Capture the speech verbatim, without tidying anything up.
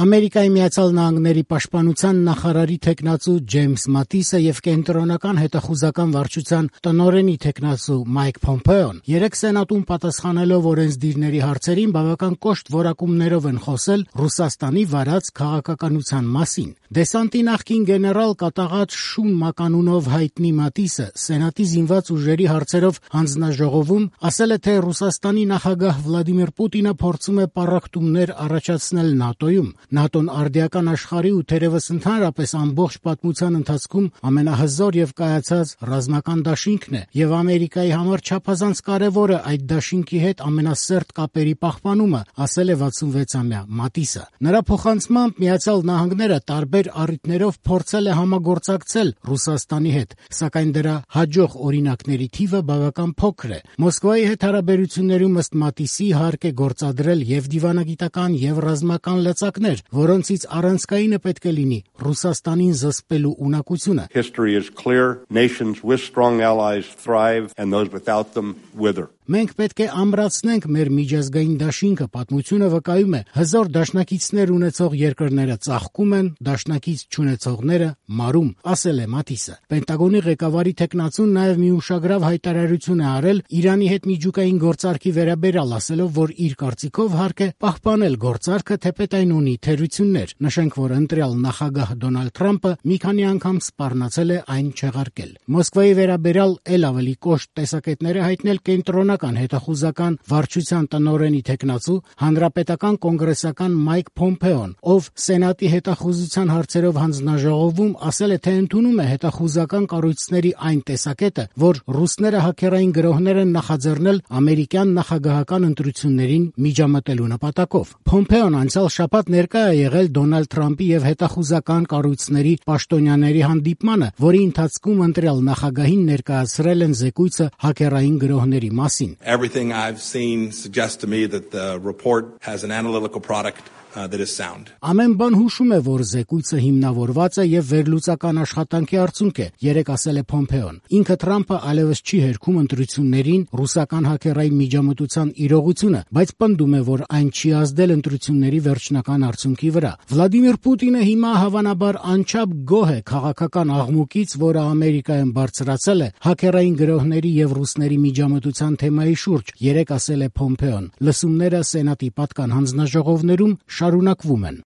Ամերիկայի Միացյալ Նահանգների պաշտպանության նախարարի թեկնածու Ջեյմս Մատիսը եւ կենտրոնական հետախուզական վարչության տնօրենի թեկնածու Մայք Փոմպեոն երեկ Սենատում պատասխանելով օրենսդիրների հարցերին բավական կոշտ որակումներով են խոսել Ռուսաստանի վարած քաղաքականության մասին։ Դեսանտի նախկին գեներալ կատաղած Շուն Մականունով հայտնի Մատիսը Սենատի զինված ուժերի հարցերով հանձնաժողովում ասել է, թե Ռուսաստանի նախագահ Վլադիմիր Պուտինը փորձում է պառակտումներ առաջացնել ՆԱՏՕ-ում։ ՆԱՏՕ-ն արդիական աշխարհի ու թերևս ընդհանրապես ամբողջ պատմության ընթացքում ամենահզոր եւ կայացած ռազմական դաշինքն է, եւ Ամերիկայի համար չափազանց կարեւոր է այդ դաշինքի հետ ամենասերտ կապերի պահպանումը, ասել է վաթսունվեցամյա Մատիսը։ Նրա փոխանցմամբ Միացյալ Նահանգները տարբեր առիթներով փորձել է համագործակցել Ռուսաստանի հետ, սակայն դրա հաջող օրինակների թիվը բավական փոքր է։ Մոսկվայի հետ հարաբերություններում ըստ Մատիսի հարկ է գործադրել եւ դիվանագիտական եւ ռազմական լծակներ, որոնցից առանցքայինը պետք է լինի Ռուսաստանին զսպելու ունակությունը։ History is clear. Nations with strong allies thrive and those without them wither. Մենք պետք է ամրացնենք մեր միջազգային դաշինքը, պատմությունը վկայում է, հզոր դաշնակիցներ ունեցող երկրները ծաղկում են, դաշնակից չունեցողները մարում, ասել է Մատիսը։ Պենտագոնի ղեկավարի թեկնածուն նաև մի ուշագրավ հայտարարություն է արել Իրանի հետ միջուկային գործարքի վերաբերյալ, ասելով, որ իր կարծիքով հարկ է պահպանել գործարքը, թեպետ այն ունի թերություններ։ Նշենք, որ ընտրյալ նախագահ Դոնալդ Թրամփը մի քանի անգամ սպառնացել է այն չեղարկել։ Մոսկվայի վերաբերյալ ել ավելի կոշտ տեսակետներ է հայտնել կենտրոնական հետախուզական վարչության տնօրենի թեկնածու հանրապետական կոնգրեսական Մայք Փոմպեոն, ով Սենատի հետախուզության հարցերով հանձնաժողովում ասել է, թե ընդունում է հետախուզական կառույցների այն տեսակետը, որ ռուսները հաքերային գրոհներ են նախաձեռնել ամերիկյան նախագահական ընտրություններին միջամտելու նպատակով։ Փոմպեոն անցյալ շաբաթ ներկա է եղել Դոնալդ Թրամփի եւ հետախուզական կառույցների պաշտոնյաների հանդիպմանը, որի ընթացքում ընտրյալ նախագահին ներկայացրել են զեկույցը հաքերային գրոհների մասին։ Everything I've seen suggests to me that the report has an analytical product uh, that is sound. Ամեն բան հուշում է, որ զեկույցը հիմնավորված է եւ վերլուծական աշխատանքի արդյունք է, երեք ասել է Փոմպեոն։ Ինքը Թրամփը այլևս չի հերքում ընտրություններին ռուսական հաքերային միջամտության իրողությունը, բայց պնդում է, որ այն չի ազդել ընտրությունների վերջնական արդյունքի վրա։ Վլադիմիր Պուտինը հիմա հավանաբար անչափ գոհ է քաղաքական աղմուկից, որը Ամերիկայում բարձրացել է հաքերային գրոհների եւ ռուսների միջամտության թեմայի շուրջ, երեք ասել է Փոմպեոն։ Լսումները Սենատի պատկան հանձնաժողովներում շարունակվում են։